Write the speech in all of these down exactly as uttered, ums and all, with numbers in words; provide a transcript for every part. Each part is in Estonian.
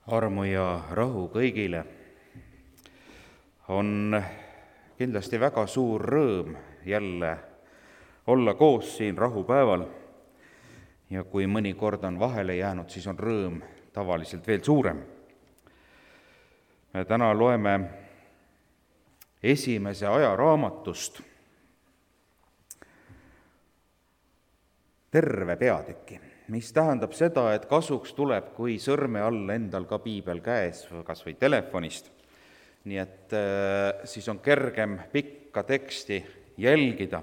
Armu ja rahu kõigile. On kindlasti väga suur rõõm jälle olla koos siin rahupäeval. Ja kui mõni kord on vahele jäänud, siis on rõõm tavaliselt veel suurem. Me täna loeme esimese ajaraamatust terve peatüki, mis tähendab seda, et kasuks tuleb, kui sõrme all endal ka piibel käes, kas või telefonist. Nii et äh, siis on kergem pikka teksti jälgida.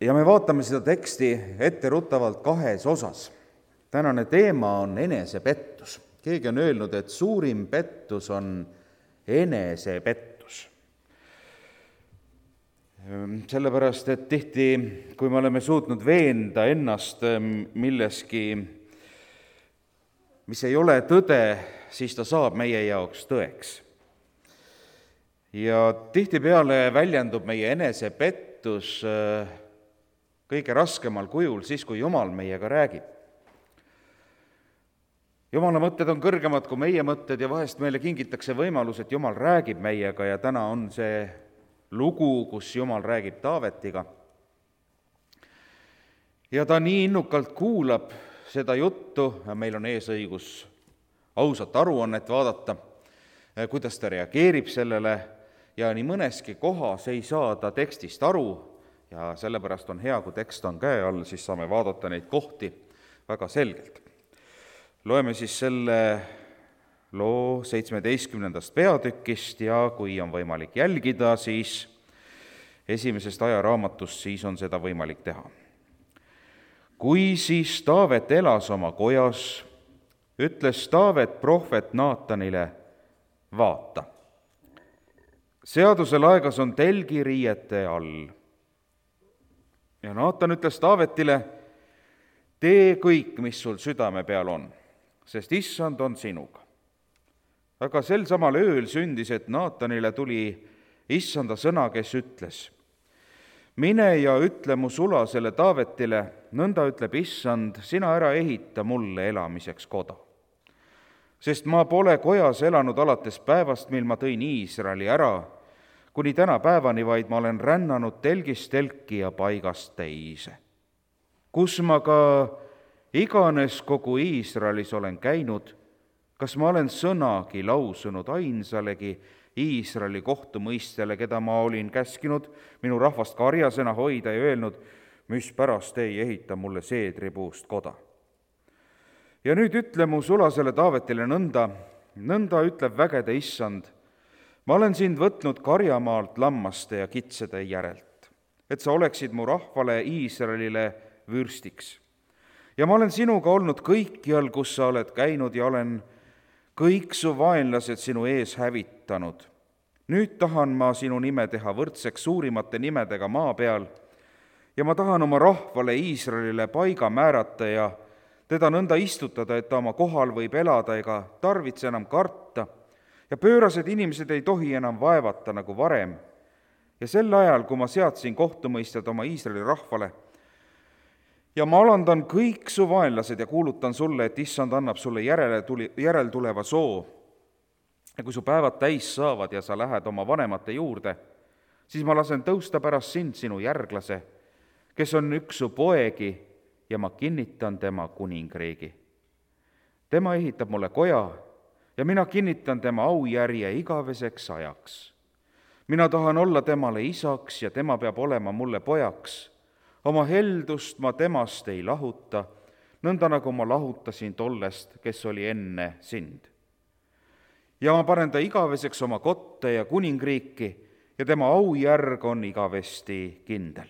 Ja me vaatame seda teksti etteruttavalt kahes osas. Tänane teema on enesepettus. Keegi on öelnud, et suurim pettus on enesepettus. Sellepärast, et tihti, kui me oleme suutnud veenda ennast milleski, mis ei ole tõde, siis ta saab meie jaoks tõeks. Ja tihtipeale väljendub meie enesepettus kõige raskemal kujul siis, kui Jumal meiega räägib. Jumala mõtted on kõrgemad kui meie mõtted ja vahest meile kingitakse võimalus, et Jumal räägib meiega ja täna on see lugu, kus Jumal räägib Taavetiga. Ja ta nii innukalt kuulab seda juttu, ja meil on ees õigus ausat aruannet vaadata, kuidas ta reageerib sellele, ja nii mõneski kohas ei saa ta tekstist aru, ja sellepärast on hea, kui tekst on käe all, siis saame vaadata neid kohti väga selgelt. Loeme siis selle loo seitsmeteistkümnendast peatükist ja kui on võimalik jälgida, siis esimesest ajaraamatust, siis on seda võimalik teha. Kui siis Taavet elas oma kojas, ütles Taavet prohvet Naatanile, vaata, seaduse laegas on telgiriiete all. Ja Naatan ütles Taavetile, tee kõik, mis sul südame peal on, sest issand on sinuga. Aga sel samal ööl sündis, et Naatanile tuli issanda sõna, kes ütles, mine ja ütle mu sulasele Taavetile, nõnda ütleb issand, sina ära ehita mulle elamiseks koda. Sest ma pole kojas elanud alates päevast, mil ma tõin Iisraeli ära, kuni täna päevani, vaid ma olen rännanud telgist telki ja paigast teise. Kus ma ka iganes kogu Iisraelis olen käinud, kas ma olen sõnagi lausunud ainsalegi Iisraeli kohtumõistjale, keda ma olin käskinud minu rahvast karjasena hoida ja öelnud, mis pärast ei ehita mulle seedripuust koda. Ja nüüd ütle mu sulasele Taavetile nõnda, nõnda ütleb vägede issand, ma olen sind võtnud karjamaalt lammaste ja kitsede järelt, et sa oleksid mu rahvale Iisraelile vürstiks. Ja ma olen sinuga olnud kõikjal, kus sa oled käinud ja olen kõik su vaenlased sinu ees hävitanud. Nüüd tahan ma sinu nime teha võrdseks suurimate nimedega maa peal ja ma tahan oma rahvale Iisraelile paiga määrata ja teda nõnda istutada, et ta oma kohal võib elada ega tarvitse enam karta ja pöörased inimesed ei tohi enam vaevata nagu varem. Ja sel ajal, kui ma seadsin kohtumõistjad oma Iisraeli rahvale, ja ma alandan kõik su vaenlased ja kuulutan sulle, et issand annab sulle järele tuli, järeltuleva soo. Ja kui su päevad täis saavad ja sa lähed oma vanemate juurde, siis ma lasen tõusta pärast sind sinu järglase, kes on üks su poegi ja ma kinnitan tema kuningriigi. Tema ehitab mulle koja ja mina kinnitan tema aujärje igaveseks ajaks. Mina tahan olla temale isaks ja tema peab olema mulle pojaks. Oma heldust ma temast ei lahuta, nõnda nagu ma lahutasin tollest, kes oli enne sind. Ja ma panen ta igaveseks oma kotte ja kuningriiki ja tema aujärg on igavesti kindel.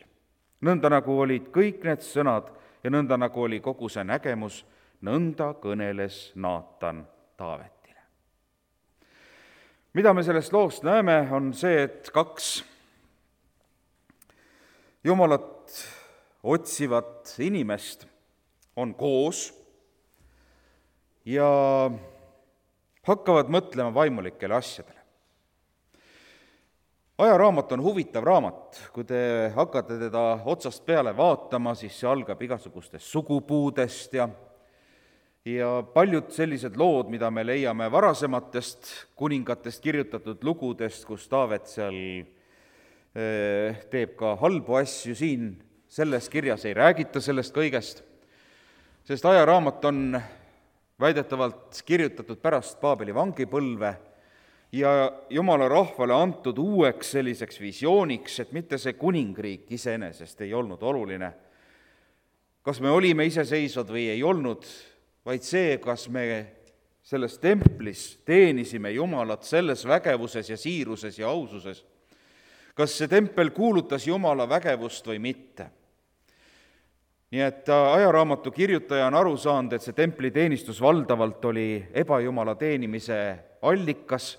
Nõnda nagu olid kõik need sõnad ja nõnda nagu oli kogu see nägemus, nõnda kõneles Naatan Taavetile. Mida me sellest loost näeme, on see, et kaks Jumalat otsivat inimest on koos ja hakkavad mõtlema vaimulikele asjadele. ajaraamat on huvitav raamat, kui te hakkate teda otsast peale vaatama, siis see algab igasugustest sugupuudest ja ja paljud sellised lood, mida me leiame varasematest kuningatest kirjutatud lugudest, kus Taavet seal teeb ka halbu asju, siin selles kirjas ei räägita sellest kõigest, sest ajaraamat on väidetavalt kirjutatud pärast Paabeli vangipõlve ja Jumala rahvale antud uueks selliseks visiooniks, et mitte see kuningriik iseenesest ei olnud oluline, kas me olime iseseisvad või ei olnud, vaid see, kas me selles templis teenisime Jumalat selles vägevuses ja siiruses ja aususes, kas see tempel kuulutas Jumala vägevust või mitte. Nii et ajaraamatu kirjutaja on aru saanud, et see templiteenistus valdavalt oli ebajumala teenimise allikas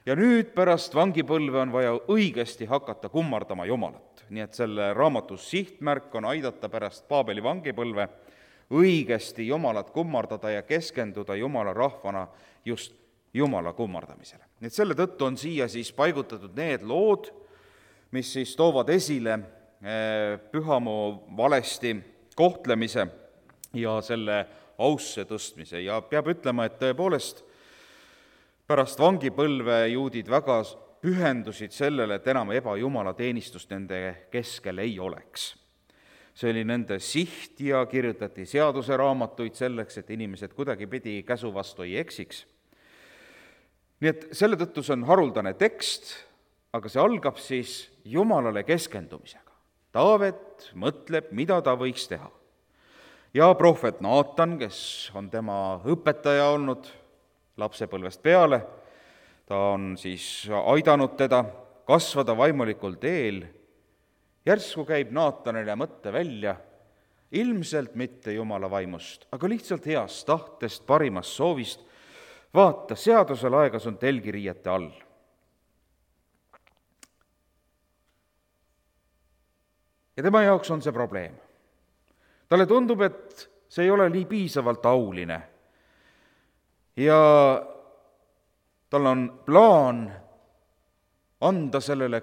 ja nüüd pärast vangipõlve on vaja õigesti hakata kummardama Jumalat. Nii et selle raamatu sihtmärk on aidata pärast Paabeli vangipõlve õigesti Jumalat kummardada ja keskenduda Jumala rahvana just Jumala kummardamisele. Nii et selle tõttu on siia siis paigutatud need lood, mis siis toovad esile pühamoo valesti kohtlemise ja selle ausse tõstmise. Ja peab ütlema, et tõepoolest pärast vangipõlve juudid väga pühendusid sellele, et enam ebajumala teenistust nende keskel ei oleks. See oli nende siht ja kirjutati seaduseraamatuid selleks, et inimesed kuidagipidi käsu vastu ei eksiks. Nii et selle tõttu see on haruldane tekst, aga see algab siis Jumalale keskendumisega. Taavet mõtleb, mida ta võiks teha. Ja prohvet Naatan, kes on tema õpetaja olnud lapsepõlvest peale, ta on siis aidanud teda kasvada vaimulikul teel. Järsku käib Naatanile mõtte välja, ilmselt mitte Jumala vaimust, aga lihtsalt heast tahtest, parimast soovist. Vaata, seadusel aegas on telgiriiete all. Ja tema jaoks on see probleem. Talle tundub, et see ei ole nii piisavalt auline. Ja tal on plaan anda sellele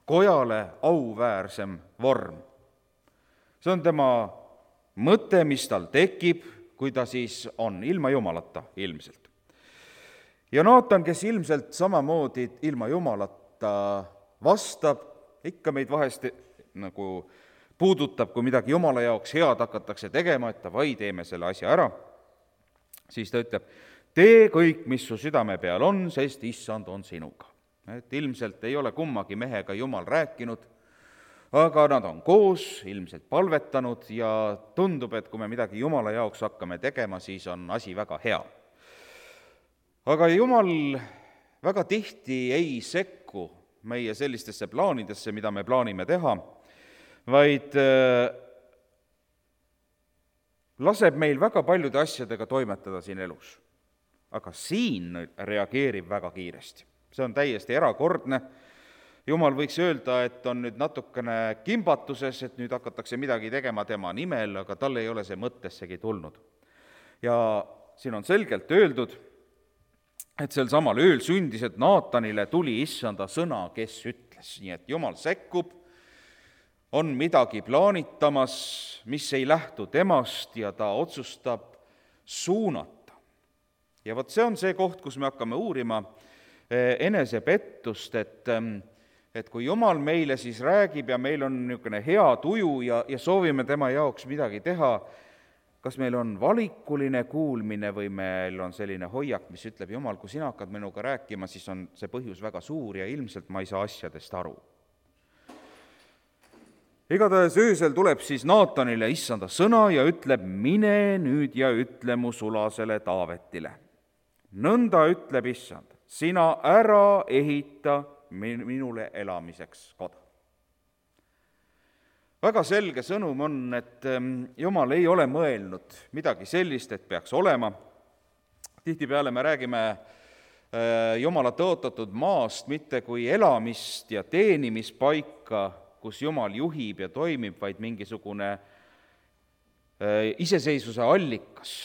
kojale auväärsem vorm. See on tema mõte, mis tal tekib, kui ta siis on ilma Jumalata ilmselt. Ja Naatan, kes ilmselt samamoodi ilma Jumalata vastab, ikka meid vahest nagu puudutab, kui midagi Jumala jaoks head hakatakse tegema, et davai, teeme selle asja ära, siis ta ütleb, tee kõik, mis su südame peal on, sest issand on sinuga. Et ilmselt ei ole kummagi mehega Jumal rääkinud, aga nad on koos, ilmselt palvetanud ja tundub, et kui me midagi Jumala jaoks hakkame tegema, siis on asi väga hea. Aga Jumal väga tihti ei sekku meie sellistesse plaanidesse, mida me plaanime teha, vaid laseb meil väga paljude asjadega toimetada siin elus. Aga siin reageerib väga kiiresti. See on täiesti erakordne. Jumal võiks öelda, et on nüüd natukene kimbatuses, et nüüd hakatakse midagi tegema tema nimel, aga tal ei ole see mõttessegi tulnud. Ja siin on selgelt öeldud, et sel samal ööl sündis, et Naatanile tuli issanda sõna, kes ütles. Nii et Jumal sekkub, on midagi plaanitamas, mis ei lähtu temast ja ta otsustab suunata. Ja vot see on see koht, kus me hakkame uurima enesepettust, et, et kui Jumal meile siis räägib ja meil on niisugune hea tuju ja, ja soovime tema jaoks midagi teha, kas meil on valikuline kuulmine või meil on selline hoiak, mis ütleb, Jumal, kui sina hakkad minuga rääkima, siis on see põhjus väga suur ja ilmselt ma ei saa asjadest aru. Igatahes öösel tuleb siis Naatanile issanda sõna ja ütleb, mine nüüd ja ütle mu sulasele Taavetile. Nõnda ütleb issand, sina ära ehita minule elamiseks koda. Väga selge sõnum on, et Jumal ei ole mõelnud midagi sellist, et peaks olema. Tihtipeale me räägime Jumala tõotatud maast mitte kui elamist ja teenimispaika, kus Jumal juhib ja toimib, vaid mingisugune iseseisvuse allikas.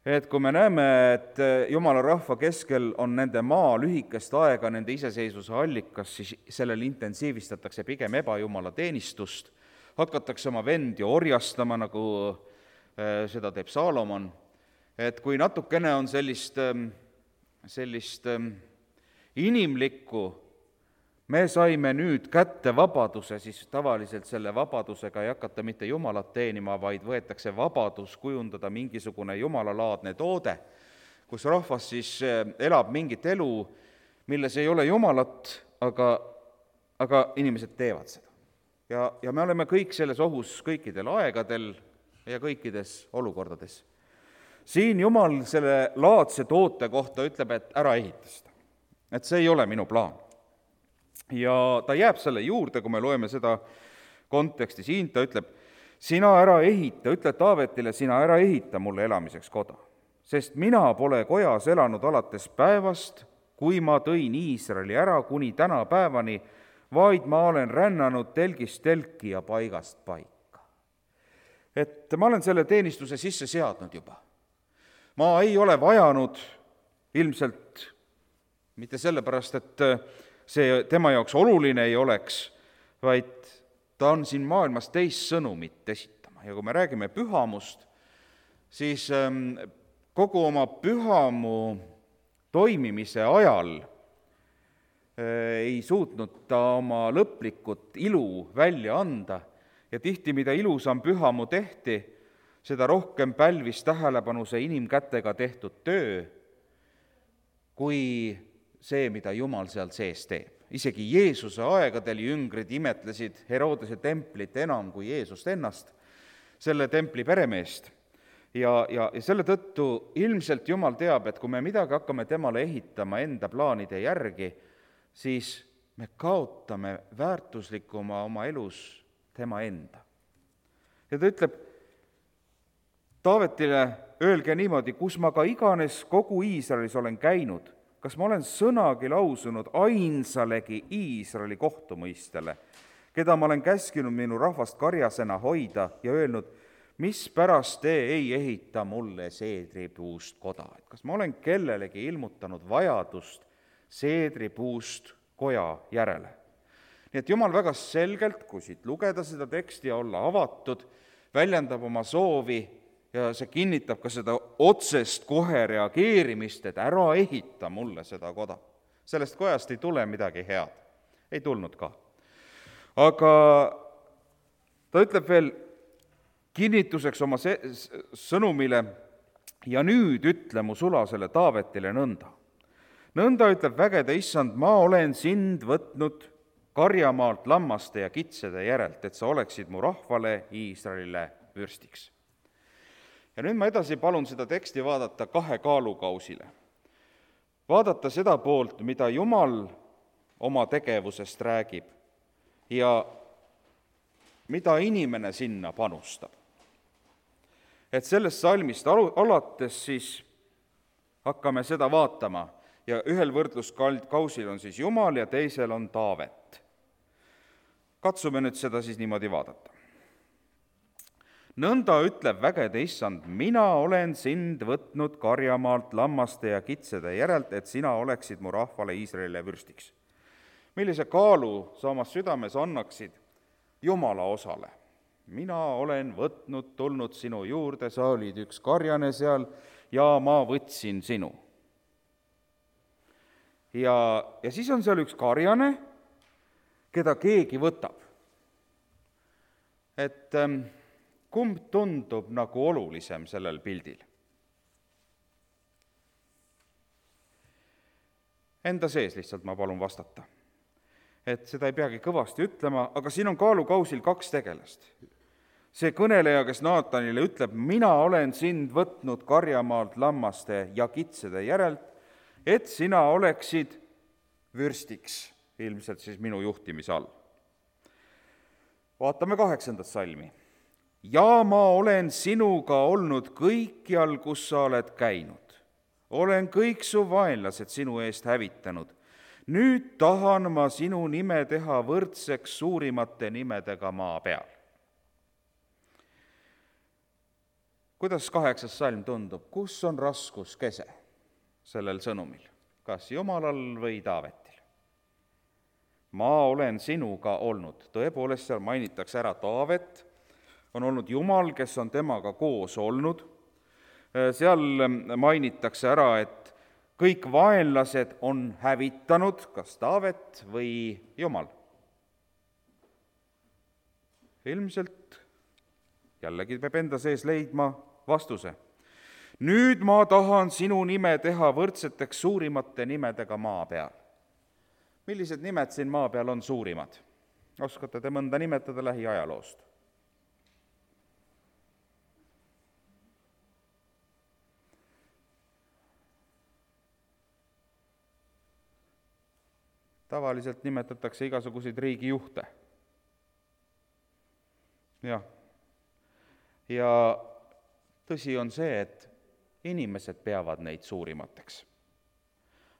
et kui me näeme, et Jumala rahva keskel on nende maa lühikest aega nende iseseisvuse allikas, siis sellel intensiivistatakse pigem ebajumala teenistust, hakatakse oma vendi orjastama, nagu seda teeb Saalomon, et kui natukene on sellist, sellist inimlikku, me saime nüüd kätte vabaduse, siis tavaliselt selle vabadusega ei hakata mitte Jumalat teenima, vaid võetakse vabadus kujundada mingisugune jumalalaadne toode, kus rahvas siis elab mingit elu, milles ei ole Jumalat, aga, aga inimesed teevad seda. Ja, ja me oleme kõik selles ohus kõikidel aegadel ja kõikides olukordades. Siin Jumal selle laadse toote kohta ütleb, et ära ehita seda. Et see ei ole minu plaan. Ja ta jääb selle juurde, kui me loeme seda konteksti siin, ta ütleb, sina ära ehita, ütle Taavetile, sina ära ehita mulle elamiseks koda, sest mina pole kojas elanud alates päevast, kui ma tõin Iisraeli ära kuni täna päevani, vaid ma olen rännanud telgist telki ja paigast paika. Et ma olen selle teenistuse sisse seadnud juba. Ma ei ole vajanud ilmselt mitte sellepärast, et see tema jaoks oluline ei oleks, vaid ta on siin maailmas teist sõnumit esitama. Ja kui me räägime pühamust, siis kogu oma pühamu toimimise ajal ei suutnud ta oma lõplikut ilu välja anda ja tihti, mida ilusam pühamu tehti, seda rohkem pälvis tähelepanu see inimkätega tehtud töö, kui see, mida Jumal seal sees teeb. Isegi Jeesuse aegadel jüngrid imetlesid Herodese templit enam kui Jeesust ennast, selle templi peremeest. Ja, ja, ja selle tõttu ilmselt Jumal teab, et kui me midagi hakkame temale ehitama enda plaanide järgi, siis me kaotame väärtuslikuma oma elus tema enda. Ja ta ütleb Taavetile, öelge niimoodi, kus ma ka iganes kogu Iisraelis olen käinud, kas ma olen sõnagi lausunud ainsalegi Iisraeli kohtumõistele, keda ma olen käskinud minu rahvast karjasena hoida ja öelnud, mis pärast te ei ehita mulle seedripuust koda. Et kas ma olen kellelegi ilmutanud vajadust seedripuust koja järele. Nii et Jumal väga selgelt, kui siit lugeda seda teksti ja olla avatud, väljendab oma soovi ja see kinnitab ka seda otsest kohe reageerimist, et ära ehita mulle seda koda. Sellest kojast ei tule midagi head. Ei tulnud ka. Aga ta ütleb veel kinnituseks oma sõnumile, ja nüüd ütle mu sulasele Taavetile nõnda. Nõnda ütleb vägede issand, ma olen sind võtnud karjamaalt lammaste ja kitsede järelt, et sa oleksid mu rahvale Iisraelile vürstiks. Ja nüüd ma edasi palun seda teksti vaadata kahe kaalukausile. Vaadata seda poolt, mida Jumal oma tegevusest räägib ja mida inimene sinna panustab. Et sellest salmist alates siis hakkame seda vaatama ja ühel võrdluskausil on siis Jumal ja teisel on Taavet. Katsume nüüd seda siis niimoodi vaadata. Nõnda ütleb vägede issand, mina olen sind võtnud karjamaalt lammaste ja kitsede järelt, et sina oleksid mu rahvale Iisraelile vürstiks. Millise kaalu sa oma südames annaksid Jumala osale? Mina olen võtnud, tulnud sinu juurde, sa olid üks karjane seal ja ma võtsin sinu. Ja, ja siis on seal üks karjane, keda keegi võtab. Et ähm, kumb tundub nagu olulisem sellel pildil? Enda sees lihtsalt ma palun vastata. Et seda ei peagi kõvasti ütlema, aga siin on kaalukausil kaks tegelast. See kõneleja, kes Naatanile ütleb, mina olen sind võtnud karjamaalt lammaste ja kitsede järelt, et sina oleksid vürstiks, ilmselt siis minu juhtimise all. Vaatame kaheksandat salmi. Ja ma olen sinuga olnud kõikjal, kus sa oled käinud. Olen kõik su vaenlased sinu eest hävitanud. Nüüd tahan ma sinu nime teha võrdseks suurimate nimedega maa peal. kuidas kaheksas salm tundub, kus on raskuskese sellel sõnumil, kas Jumalal või Taavetil? Ma olen sinuga olnud, tõepoolest seal mainitakse ära Taavet, on olnud Jumal, kes on temaga koos olnud, seal mainitakse ära, et kõik vaenlased on hävitanud, kas Taavet või Jumal. Ilmselt jällegi peab enda sees leidma vastuse. Nüüd ma tahan sinu nime teha võrdseteks suurimate nimedega maa peal. Millised nimed siin maa peal on suurimad? Oskate te mõnda nimetada lähiajaloost? Tavaliselt nimetatakse igasuguseid riigijuhte. Jah. Ja tõsi on see, et inimesed peavad neid suurimateks.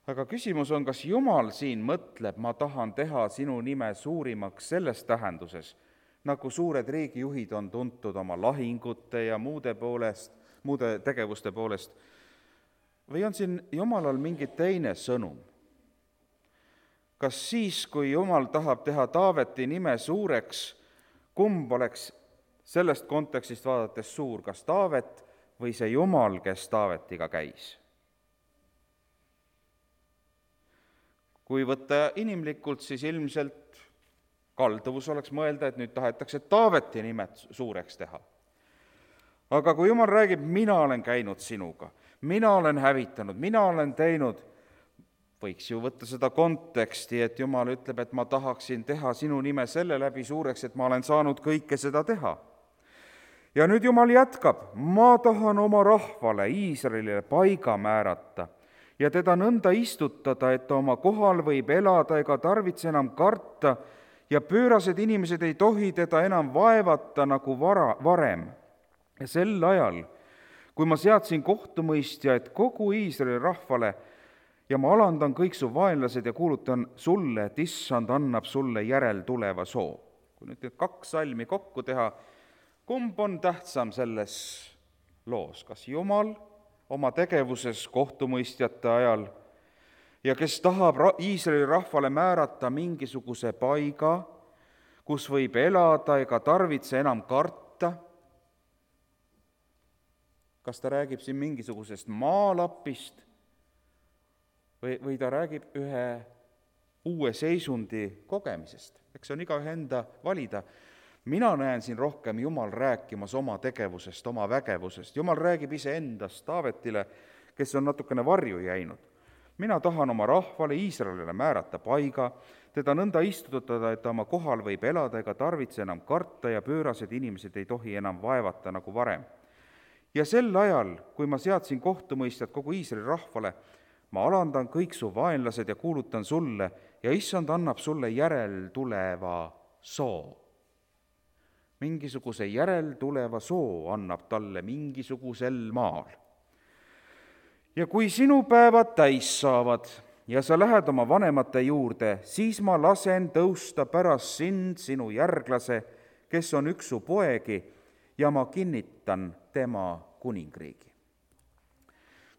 Aga küsimus on, kas Jumal siin mõtleb, ma tahan teha sinu nime suurimaks selles tähenduses, nagu suured riigijuhid on tuntud oma lahingute ja muude poolest, muude tegevuste poolest, või on siin Jumalal mingi teine sõnum? Kas siis, kui Jumal tahab teha Taaveti nime suureks, kumb oleks sellest kontekstist vaadates suur, kas Taavet või see Jumal, kes Taavetiga käis? Kui võtta inimlikult, siis ilmselt kalduvus oleks mõelda, et nüüd tahetakse Taaveti nimet suureks teha. Aga kui Jumal räägib, mina olen käinud sinuga, mina olen hävitanud, mina olen teinud, võiks ju võtta seda konteksti, et Jumal ütleb, et ma tahaksin teha sinu nime selle läbi suureks, et ma olen saanud kõike seda teha. Ja nüüd Jumal jätkab, ma tahan oma rahvale, Iisraelile paiga määrata ja teda nõnda istutada, et ta oma kohal võib elada ega tarvitse enam karta ja pöörased inimesed ei tohi teda enam vaevata nagu vara, varem. Ja sel ajal, kui ma seadsin kohtumõistjaid kogu Iisraeli rahvale, ja ma alandan kõik su vaenlased ja kuulutan sulle, et issand annab sulle järeltuleva soo. Kui nüüd need kaks salmi kokku teha, kumb on tähtsam selles loos? Kas Jumal oma tegevuses kohtumõistjate ajal ja kes tahab Iisraeli rahvale määrata mingisuguse paiga, kus võib elada ega tarvitse enam karta? Kas ta räägib siin mingisugusest maalapist? Või, või ta räägib ühe uue seisundi kogemisest. Eks see on igaühe enda valida. Mina näen siin rohkem Jumal rääkimas oma tegevusest, oma vägevusest. Jumal räägib iseendast Taavetile, kes on natukene varju jäinud. Mina tahan oma rahvale, Iisraelile määrata paiga, teda nõnda istutada, et ta oma kohal võib elada ega tarvitse enam karta ja pöörased inimesed ei tohi enam vaevata nagu varem. Ja sel ajal, kui ma seadsin kohtumõistjad kogu Iisraeli rahvale, ma alandan kõik su vaenlased ja kuulutan sulle ja issand annab sulle järeltuleva soo. Mingisuguse järeltuleva soo annab talle mingisugusel maal. Ja kui sinu päevad täis saavad ja sa lähed oma vanemate juurde, siis ma lasen tõusta pärast sind sinu järglase, kes on üks su poegi, ja ma kinnitan tema kuningriigi.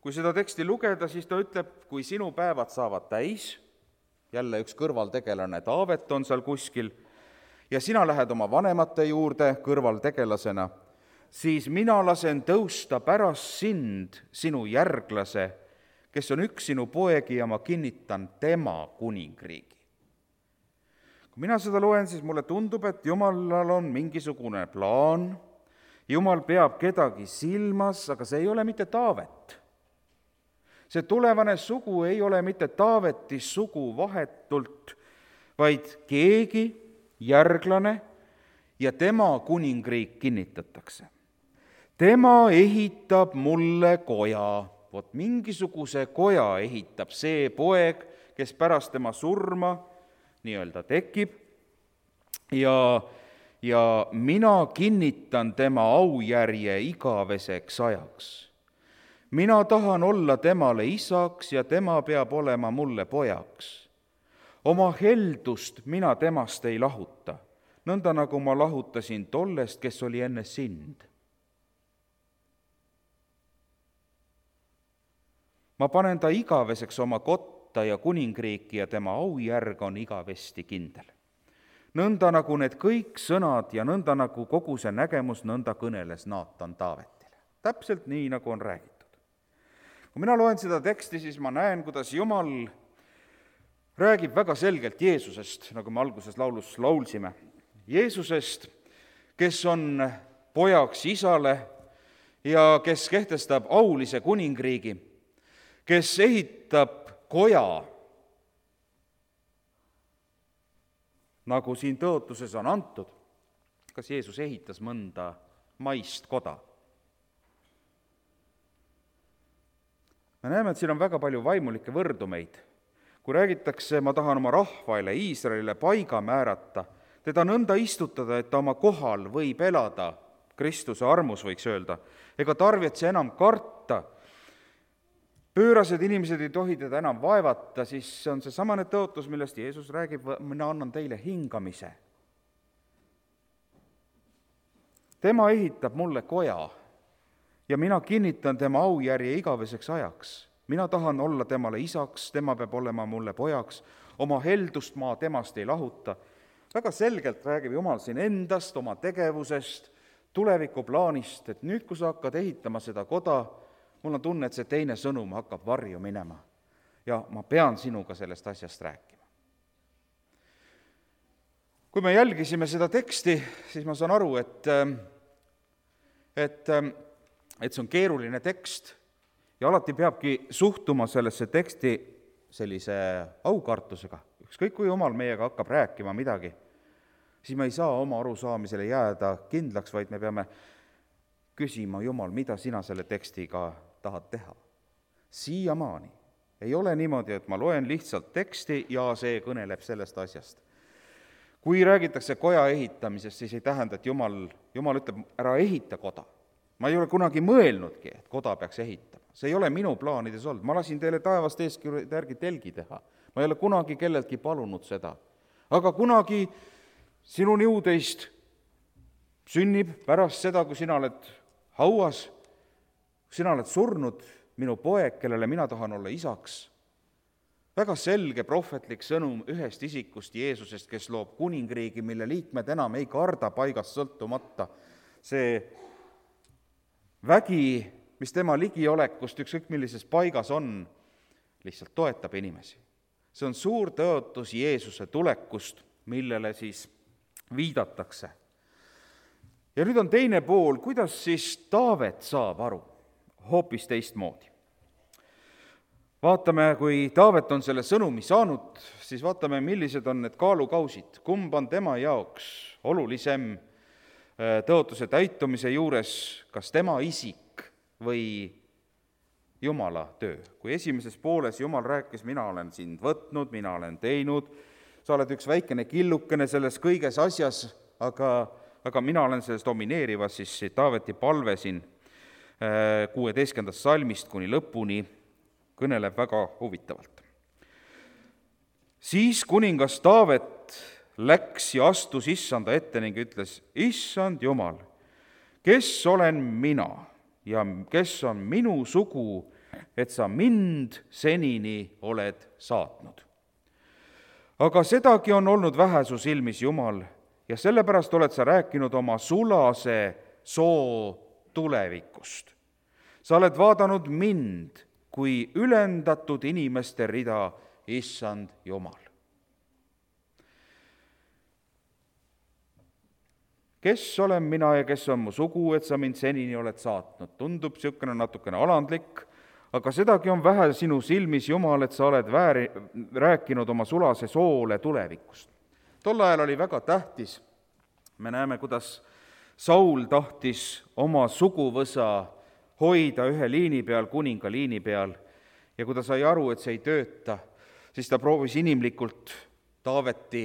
Kui seda teksti lugeda, siis ta ütleb, kui sinu päevad saavad täis, jälle üks kõrvaltegelane Taavet on seal kuskil, ja sina lähed oma vanemate juurde kõrvaltegelasena, siis mina lasen tõusta pärast sind sinu järglase, kes on üks sinu poegi ja ma kinnitan tema kuningriigi. Kui mina seda loen, siis mulle tundub, et Jumalal on mingisugune plaan, Jumal peab kedagi silmas, aga see ei ole mitte Taavet. See tulevane sugu ei ole mitte Taaveti sugu vahetult, vaid keegi, järglane, ja tema kuningriik kinnitatakse. Tema ehitab mulle koja, vot mingisuguse koja ehitab see poeg, kes pärast tema surma nii-öelda tekib, ja, ja mina kinnitan tema aujärje igaveseks ajaks. Mina tahan olla temale isaks ja tema peab olema mulle pojaks. Oma heldust mina temast ei lahuta, nõnda nagu ma lahutasin tollest, kes oli enne sind. ma panen ta igaveseks oma kotta ja kuningriiki ja tema aujärg on igavesti kindel. Nõnda nagu need kõik sõnad ja nõnda nagu kogu see nägemus, nõnda kõneles Naatan Taavetile. Täpselt nii, nagu on räägitud. Kui mina loen seda teksti, siis ma näen, kuidas Jumal räägib väga selgelt Jeesusest, nagu me alguses laulus laulsime. Jeesusest, kes on pojaks isale ja kes kehtestab aulise kuningriigi, kes ehitab koja, nagu siin tõotuses on antud. Kas Jeesus ehitas mõnda maist koda? Me näeme, et siin on väga palju vaimulikke võrdumeid. Kui räägitakse, ma tahan oma rahvaile, Iisraelile paiga määrata, teda nõnda istutada, et ta oma kohal võib elada, Kristuse armus võiks öelda, ega tarvitse enam karta, pöörased inimesed ei tohi teda enam vaevata, siis see on see samane tõotus, millest Jeesus räägib, mina annan teile hingamise. Tema ehitab mulle koja ja mina kinnitan tema aujärje igaveseks ajaks. Mina tahan olla temale isaks, tema peab olema mulle pojaks, oma heldust ma temast ei lahuta. Väga selgelt räägib Jumal siin endast, oma tegevusest, tulevikuplaanist, et nüüd, kui sa hakkad ehitama seda koda, mul on tunne, et see teine sõnum hakkab varju minema ja ma pean sinuga sellest asjast rääkima. Kui me jälgisime seda teksti, siis ma saan aru, et, et, et see on keeruline tekst ja alati peabki suhtuma sellesse teksti sellise aukartusega. Ükskõik, kui Jumal meiega hakkab rääkima midagi, siis me ei saa oma arusaamisele jääda kindlaks, vaid me peame küsima, Jumal, mida sina selle tekstiga tahad teha. Siiamaani ei ole niimoodi, et ma loen lihtsalt teksti ja see kõneleb sellest asjast. Kui räägitakse koja ehitamisest, siis ei tähenda, et Jumal, Jumal ütleb, ära ehita koda. Ma ei ole kunagi mõelnudki, et koda peaks ehitama. See ei ole minu plaanides olnud. Ma lasin teile taevast eeskirjade järgi telgi teha. Ma ei ole kunagi kelleltki palunud seda. Aga kunagi sinu niudeist sünnib pärast seda, kui sina oled hauas, sina oled surnud, minu poeg, kellele mina tahan olla isaks. Väga selge prohvetlik sõnum ühest isikust Jeesusest, kes loob kuningriigi, mille liikmed enam ei karda paigast sõltumata. See vägi, mis tema ligiolekust ükskõik millises paigas on, lihtsalt toetab inimesi. See on suur tõotus Jeesuse tulekust, millele siis viidatakse. Ja nüüd on teine pool, kuidas siis Taavet saab aru hoopis teistmoodi. Vaatame, kui Taavet on selle sõnumi saanud, siis vaatame, millised on need kaalukausid. Kumb on tema jaoks olulisem tõotuse täitumise juures, kas tema isik või Jumala töö. Kui esimeses pooles Jumal rääkis, mina olen sind võtnud, mina olen teinud, sa oled üks väikene killukene selles kõiges asjas, aga, aga mina olen selles domineerivas, siis Taaveti palve siin kuueteistkümnendast salmist kuni lõpuni kõneleb väga huvitavalt. Siis kuningas Taavet läks ja astus issanda ette ning ütles, issand Jumal, kes olen mina ja kes on minu sugu, et sa mind senini oled saatnud. Aga sedagi on olnud vähe su silmis, Jumal, ja sellepärast oled sa rääkinud oma sulase soo tulevikust. Sa oled vaadanud mind kui ülendatud inimeste rida, issand Jumal. Kes olen mina ja kes on mu sugu, et sa mind senini oled saatnud? Tundub niisugune natukene alandlik, aga sedagi on vähe sinu silmis, Jumal, et sa oled vääri, rääkinud oma sulase soole tulevikust. Tol ajal oli väga tähtis, me näeme, kuidas Saul tahtis oma suguvõsa hoida ühe liini peal, kuninga liini peal, ja kui ta sai aru, et see ei tööta, siis ta proovis inimlikult Taaveti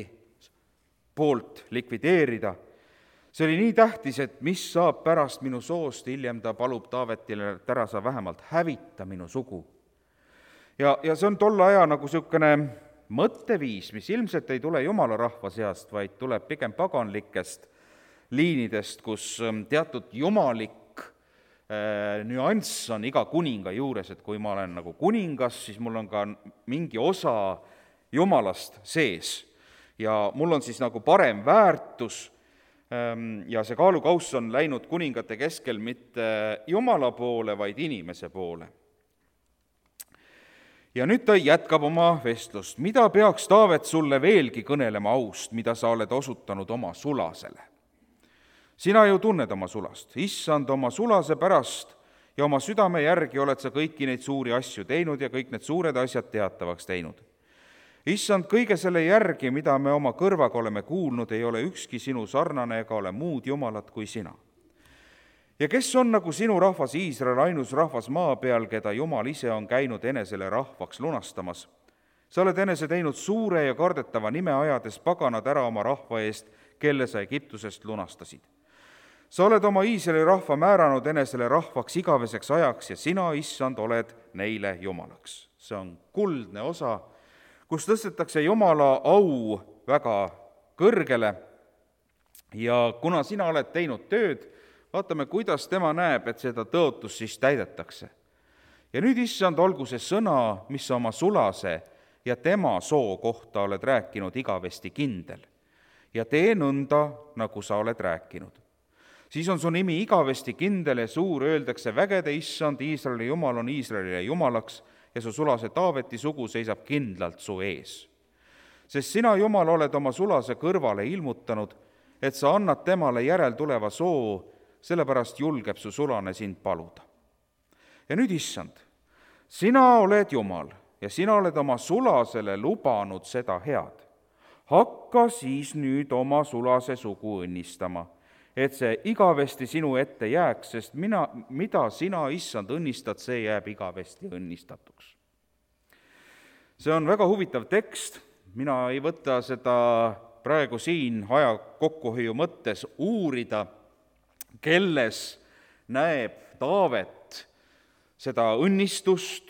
poolt likvideerida. See oli nii tähtis, et mis saab pärast minu soost, hiljem ta palub Taavetile, et ära sa vähemalt hävita minu sugu. Ja, ja see on tolle aja nagu niisugune mõtteviis, mis ilmselt ei tule Jumala rahva seast, vaid tuleb pigem paganlikest liinidest, kus teatud jumalik nüanss on iga kuninga juures, et kui ma olen nagu kuningas, siis mul on ka mingi osa Jumalast sees ja mul on siis nagu parem väärtus ja see kaalukauss on läinud kuningate keskel mitte Jumala poole, vaid inimese poole. Ja nüüd ta jätkab oma vestlust. Mida peaks Taavet sulle veelgi kõnelema aust, mida sa oled osutanud oma sulasele? Sina ju tunned oma sulast, issand oma sulase pärast ja oma südame järgi oled sa kõiki neid suuri asju teinud ja kõik need suured asjad teatavaks teinud. Issand, kõige selle järgi, mida me oma kõrvaga oleme kuulnud, ei ole ükski sinu sarnane ega ole muud jumalat kui sina. Ja kes on nagu sinu rahvas Iisrael, ainus rahvas maa peal, keda Jumal ise on käinud enesele rahvaks lunastamas? Sa oled enese teinud suure ja kardetava nime ajades paganad ära oma rahva eest, kelle sa Egiptusest lunastasid. Sa oled oma Iisraeli rahva määranud enesele rahvaks igaveseks ajaks ja sina, issand, oled neile jumalaks. See on kuldne osa, kus tõstetakse Jumala au väga kõrgele ja kuna sina oled teinud tööd, vaatame, kuidas tema näeb, et seda tõotust siis täidetakse. Ja nüüd, issand, olgu see sõna, mis sa oma sulase ja tema soo kohta oled rääkinud igavesti kindel ja tee nõnda, nagu sa oled rääkinud. Siis on su nimi igavesti kindel ja suur, öeldakse vägede issand, Iisraeli Jumal on Iisraelile jumalaks ja su sulase Taaveti sugu seisab kindlalt su ees. Sest sina, Jumal, oled oma sulase kõrvale ilmutanud, et sa annad temale järeltuleva soo, sellepärast julgeb su sulane sind paluda. Ja nüüd, issand, sina oled Jumal ja sina oled oma sulasele lubanud seda head. Hakka siis nüüd oma sulase sugu õnnistama, et see igavesti sinu ette jääks, sest mina, mida sina, issand, õnnistad, see jääb igavesti õnnistatuks. See on väga huvitav tekst, mina ei võta seda praegu siin aja kokkuhoiu mõttes uurida, kelles näeb Taavet seda õnnistust,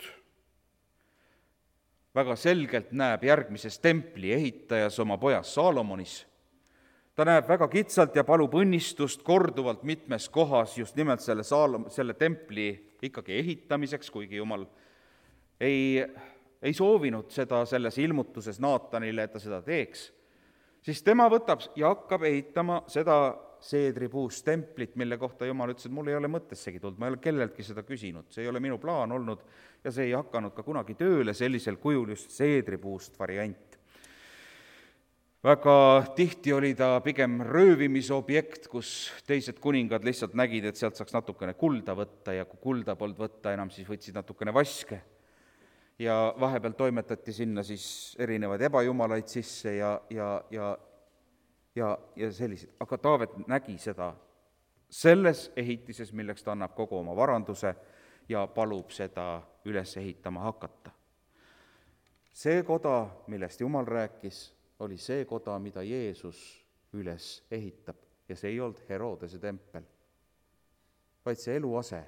väga selgelt näeb järgmises templi ehitajas oma pojas Saalomonis. Ta näeb väga kitsalt ja palub õnnistust korduvalt mitmes kohas just nimelt selle, Saalom, selle templi ikkagi ehitamiseks, kuigi Jumal ei, ei soovinud seda selles ilmutuses Naatanile, et ta seda teeks, siis tema võtab ja hakkab ehitama seda seedripuust templit, mille kohta Jumal ütles, et mul ei ole mõttessegi tulnud, ma ei ole kelleltki seda küsinud, see ei ole minu plaan olnud ja see ei hakanud ka kunagi tööle sellisel kujul just seedripuust variant. Väga tihti oli ta pigem röövimisobjekt, kus teised kuningad lihtsalt nägid, et sealt saaks natukene kulda võtta ja kui kulda polnud võtta enam, siis võtsid natukene vaske. Ja vahepeal toimetati sinna siis erinevaid ebajumalaid sisse ja, ja, ja, ja, ja sellised. Aga Taavet nägi seda selles ehitises, milleks ta annab kogu oma varanduse ja palub seda üles ehitama hakata. See koda, millest Jumal rääkis, oli see koda, mida Jeesus üles ehitab ja see ei olnud Herodese tempel, vaid see eluase,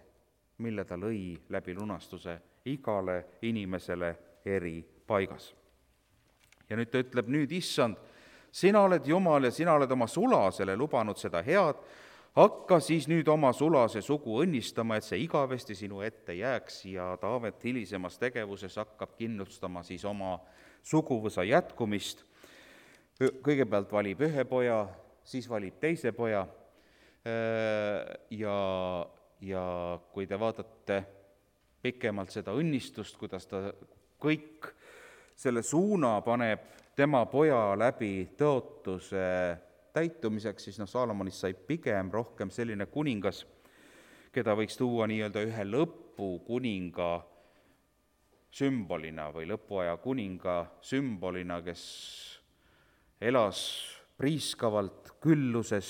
mille ta lõi läbi lunastuse igale inimesele eri paigas. Ja nüüd ta ütleb, nüüd issand, sina oled Jumal ja sina oled oma sulasele lubanud seda head, hakka siis nüüd oma sulase sugu õnnistama, et see igavesti sinu ette jääks ja Taavet hilisemas tegevuses hakkab kindlustama siis oma suguvõsa jätkumist. Kõigepealt valib ühe poja, siis valib teise poja ja, ja kui te vaatate pikemalt seda õnnistust, kuidas ta kõik selle suuna paneb tema poja läbi tõotuse täitumiseks, siis noh, Saalomonist sai pigem rohkem selline kuningas, keda võiks tuua nii-öelda ühe lõpukuninga sümbolina või lõpuaja kuninga sümbolina, kes elas priiskavalt külluses,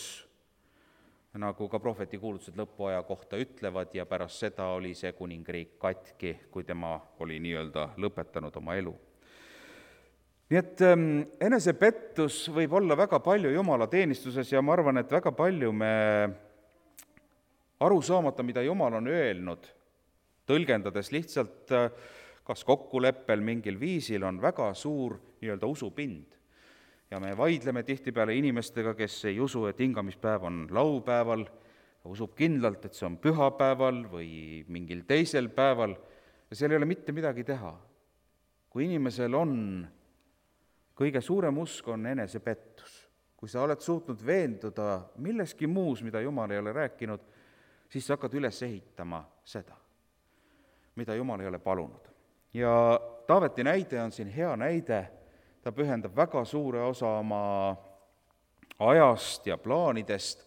nagu ka prohveti kuulutused lõpuaja kohta ütlevad, ja pärast seda oli see kuningriik katki, kui tema oli nii-öelda lõpetanud oma elu. Nii et ähm, enesepettus võib olla väga palju Jumala teenistuses ja ma arvan, et väga palju me aru saamata, mida Jumal on öelnud, tõlgendades lihtsalt kas kokkuleppel mingil viisil, on väga suur nii-öelda usupind. Ja me vaidleme tihtipeale inimestega, kes ei usu, et hingamispäev on laupäeval usub kindlalt, et see on pühapäeval või mingil teisel päeval ja seal ei ole mitte midagi teha. Kui inimesel on, kõige suurem usk on enesepettus. Kui sa oled suutnud veenduda milleski muus, mida Jumal ei ole rääkinud, siis sa hakkad üles ehitama seda, mida Jumal ei ole palunud. Ja Taaveti näide on siin hea näide, ta pühendab väga suure osa oma ajast ja plaanidest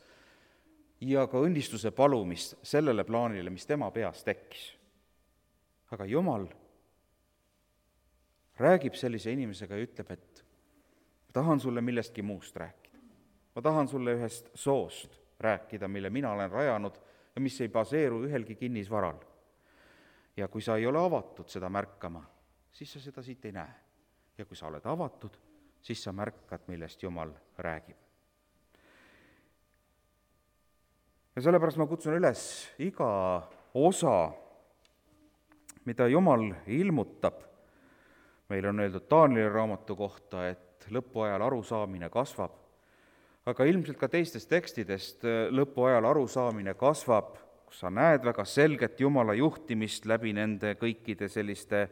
ja ka õnnistuse palumist sellele plaanile, mis tema peas tekkis. Aga Jumal räägib sellise inimesega ja ütleb, et ma tahan sulle millestki muust rääkida. Ma tahan sulle ühest soost rääkida, mille mina olen rajanud ja mis ei baseeru ühelgi kinnisvaral. Ja kui sa ei ole avatud seda märkama, siis sa seda siit ei näe. Ja kui sa oled avatud, siis sa märkad, millest Jumal räägib. Ja sellepärast ma kutsun üles iga osa, mida Jumal ilmutab. Meil on öeldud Taanieli raamatu kohta, et lõpuajal arusaamine kasvab, aga ilmselt ka teistest tekstidest lõpuajal arusaamine kasvab, kus sa näed väga selget Jumala juhtimist läbi nende kõikide selliste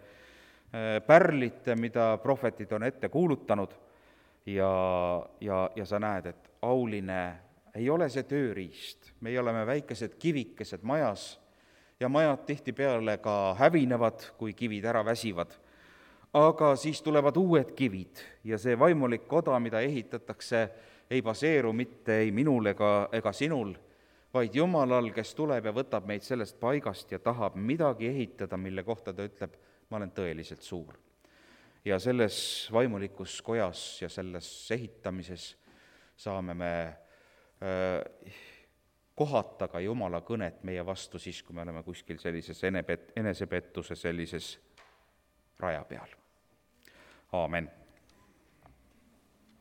pärlite, mida prohvetid on ette kuulutanud ja, ja, ja sa näed, et auline ei ole see tööriist. Meie oleme väikesed kivikesed majas ja majad tihtipeale ka hävinevad, kui kivid ära väsivad. Aga siis tulevad uued kivid ja see vaimulik koda, mida ehitatakse, ei baseeru mitte ei minul ega, ega sinul, vaid Jumalal, kes tuleb ja võtab meid sellest paigast ja tahab midagi ehitada, mille kohta ta ütleb, ma olen tõeliselt suur. Ja selles vaimulikus kojas ja selles ehitamises saame me äh, kohata ka Jumala kõnet meie vastu siis, kui me oleme kuskil sellises enepettuse sellises raja peal. Aamen.